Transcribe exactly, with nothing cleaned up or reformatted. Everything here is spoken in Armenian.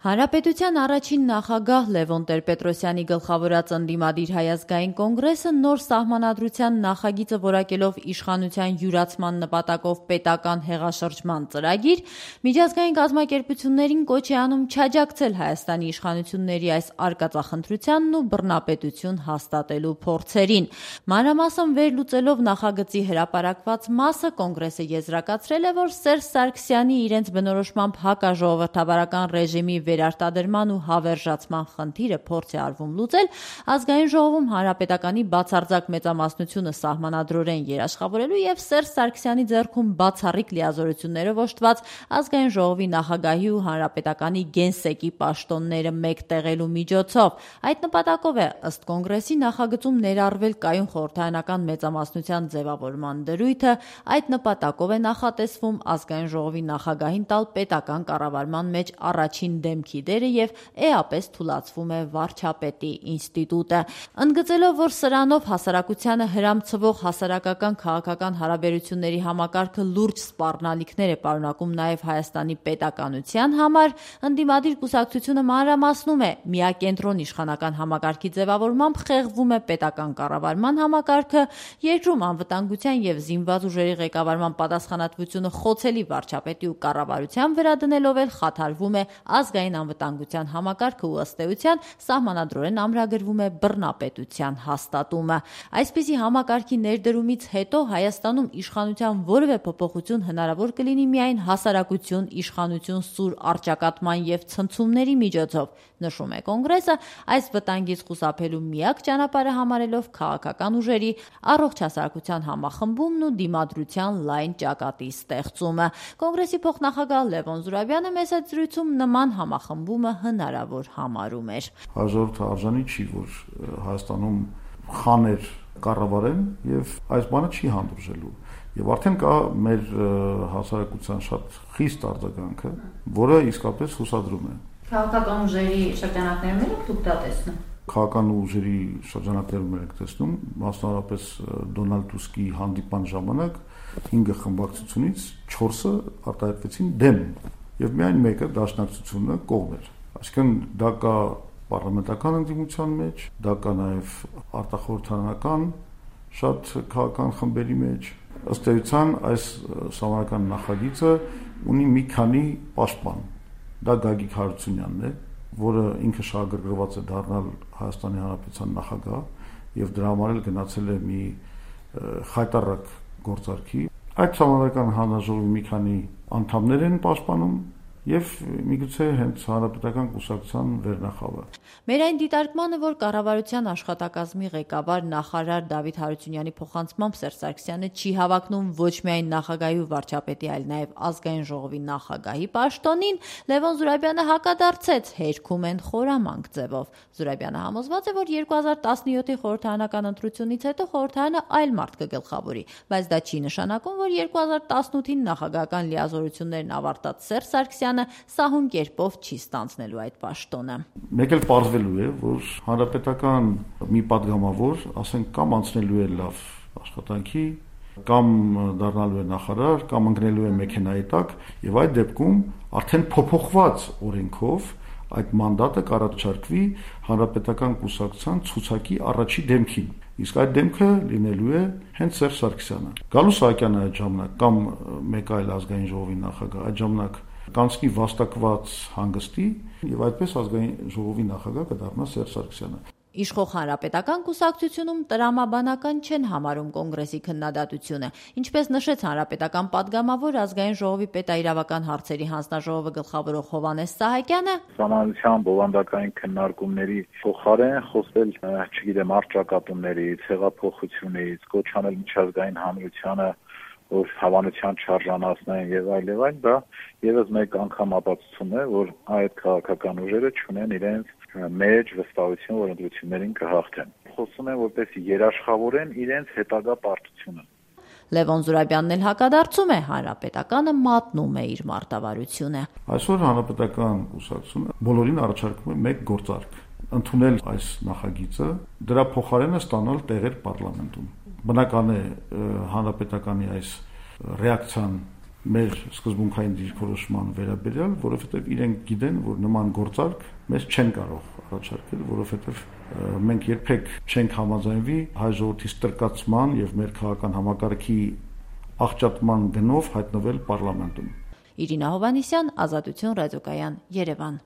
Հանրապետության առաջին նախագահ Լևոն Տեր-Պետրոսյանի գլխավորած ընդդիմադիր Հայ ազգային կոնգրեսը նոր սահմանադրության նախագիծը որակելով իշխանության յուրացման նպատակով պետական հեղաշրջման ծրագիր, միջազգային կազմակերպություններին կոչ է անում չաջակցել Հայաստանի իշխանությունների այս արկածախնդրությանն ու բռնապետություն հաստատելու փորձերին։ Մանրամասն վերլուծելով նախագծի հրապարակված մասը, կոնգրեսը եզրակացրել է, որ Սերժ Սարգսյանի իրենց բնորոշմամբ հակաժողովրդավարական ռեժիմի վերարտադրման ու հավերժացման խնդիրը փորձ է արվում լուծել ազգային ժողովում հանրապետականի բացարձակ մեծամասնությունը սահմանադրորեն երաշխավորելու եւ Սերժ Սարգսյանի ձեռքում բացառիկ լիազորություններով օժտված ազգային ժողովի նախագահի ու հանրապետականի գենսեկի պաշտոնները մեկտեղելու միջոցով։ Այդ նպատակով է ըստ կոնգրեսի նախագծում ներառվել կայուն խորհրդարանական մեծամասնության ձևավորման դրույթը, այդ նպատակով է նախատեսվում ազգային ժողովի նախագահին տալ պետական կառավարման մեջ առաջին դեմքի դերը եւ էապես թուլացվում է վարչապետի ինստիտուտը։ Ընդգծելով, որ սրանով հասարակությանը հրամցվող հասարակական քաղաքական հարաբերությունների համակարգը լուրջ սպառնալիքներ է պարունակում նաեւ Հայաստանի պետականության համար, ընդդիմադիր կուսակցությունը մանրամասնում է, միակենտրոն իշխանական համակարգի ձևավորմամբ խեղվում է պետական կառավարման համակարգը, երկրում անվտանգության եւ զինված ուժերի ղեկավարման պատասխանատվությունը խոցելի վարչապետի ու կառավարության վրա դնելով էլ խաթարվում է ազգային անվտանգության համակարգը ու ըստ էության սահմանադրորեն ամրագրվում է բռնապետության հաստատումը։ Այսպիսի համակարգի ներդրումից հետո Հայաստանում իշխանության որևէ փոփոխություն հնարավոր կլինի միայն հասարակություն իշխանություն սուր առճակատման եւ ցնցումների միջոցով, նշում է կոնգրեսը, այս վտանգից խուսափելու միակ ճանապարհը համարելով քաղաքական ուժերի առողջ հասարակության համախմբումն ու դիմադրության լայն ճակատի ստեղծումը։ Կոնգրեսի փոխնախագահ Լևոն Զուրաբյանը մեծ զրույցում նման համախմբումը հնարավոր համարում էր։ Հաջորդը արժանի չի, որ Հայաստանում խաներ կառավարեն եւ այս բանը չի հանդուրժելու։ Եվ արդեն կա մեր հասարակության շատ խիստ արձագանքը, որը իսկապես հուսադրում է։ Քաղաքական ուժերի շրջանակներում եք դուք դա տեսնում։ Քաղաքական ուժերի շրջանակներում եք տեսնում, մասնավորապես Դոնալդ Տուսկի հանդիպման ժամանակ հինգ խմբակցությունից չորսը արտահայտվեցին դեմ եւ միայն մեկը դաշնակցությունը կողմ էր։ Այսինքն դա կա պարլամենտական ընդդիմության մեջ, դա կա նաեւ արտախորհրդարանական շատ քաղաքական խմբերի մեջ։ Ըստ էության այս սահմանական նախագիծը ունի մի քանի պաշտպան։ Դա Գագիկ Հարությունյանն է, որը ինքը շահագրգռված է դառնալ Հայաստանի Հանրապետության նախագահ եւ դրա համար էլ գնացել է մի խայտառակ գործարքի։ Այդ սահմանական հանրաժողովի մի քանի անդամներ են պաշտպանում եւ միգուցե հենց հանրապետական կուսակցության վերնախավը։ Մեր այն դիտարկմանը, որ կառավարության աշխատակազմի ղեկավար նախարար Դավիթ Հարությունյանի փոխանցմամբ Սերժ Սարգսյանը չի հավակնում ոչ միայն նախագահի ու վարչապետի, այլ նաեւ ազգային ժողովի նախագահի պաշտոնին, Լևոն Զուրաբյանը հակադարձեց, հերքում են խորամանկ ձևով։ Զուրաբյանը համոզված է, որ երկու հազար տասնյոթի խորհրդարանական ընտրությունից հետո խորհրդարանը այլ մարդ կգլխավորի, բայց դա չի նշանակում, որ երկու հազար տասնութին նախագահական լիազորություններն ավարտած Սերժ Սարգսյանը սահուն կերպով չի ստանձնելու այդ պաշտոնը։ Մեկ էլ պարզվելու է, որ հանրապետական մի падգամավոր, ասենք, կամ անցնելու է լավ աշխատանքի, կամ դառնալու է նախարար, կամ ընկնելու է մեքենայի տակ, եւ այդ դեպքում արդեն փոփոխված օրենքով այդ մանդատը կառաջարկվի հանրապետական կուսակցության ցուցակի առաջի դեմքին։ Իսկ այդ դեմքը լինելու է հենց Սերժ Սարգսյանը։ Գալու Սահակյանը այդ ժամանակ կամ մեկ այլ ազգային ժողովի նախագահ այդ ժամանակ կանցնի վաստակված հանգստի եւ այդպես ազգային ժողովի նախագահ կդառնա Սերժ Սարգսյանը։ Իշխող հանրապետական կուսակցությունում տրամաբանական չեն համարում կոնգրեսի քննադատությունը, ինչպես նշեց հանրապետական падգամավոր ազգային ժողովի պետաիրավական հարցերի հանձնաժողովը գլխավորող Հովհաննես Սահակյանը, Սահմանադրության բովանդակային քննարկումների փոխարեն խոսել, չգիտեմ, առճակատումներից, հեղափոխությունից, կոչ անել միջազգային հանրությանը որ հավանության չարժանացնեն եւ այլ եւ այլ, դա եւս մեկ անգամ ապացուցում է, որ այդ քաղաքական ուժերը չունեն իրենց մեջ վստահություն, որ ընտրություններին կհաղթեն։ Խոսում են, որպես երաշխավորեն իրենց հետագա պարտությունը։ Լևոն Զուրաբյանն էլ հակադարձում է, հանրապետականը մատնում է իր մարտավարությունը։ Այսօր հանրապետական կուսակցությունը բոլորին առաջարկում է մեկ գործարք՝ ընդունել այս նախագիծը, դրա փոխարենը ստանալ տեղեր պարլամենտում։ Բնական է հանրապետականի այս ռեակցիան մեր սկզբունքային դիրքորոշման վերաբերյալ, որովհետև իրենք գիտեն, որ նման գործարք մեզ չեն կարող առաջարկել, որովհետև մենք երբեք չենք համաձայնվի հայ ժողովրդի ստրկացման եւ մեր քաղաքական համակարգի աղճատման գնով հայտնվել պարլամենտում։ Իրինա Հովհաննիսյան, Ազատություն ռադիոկայան, Երևան։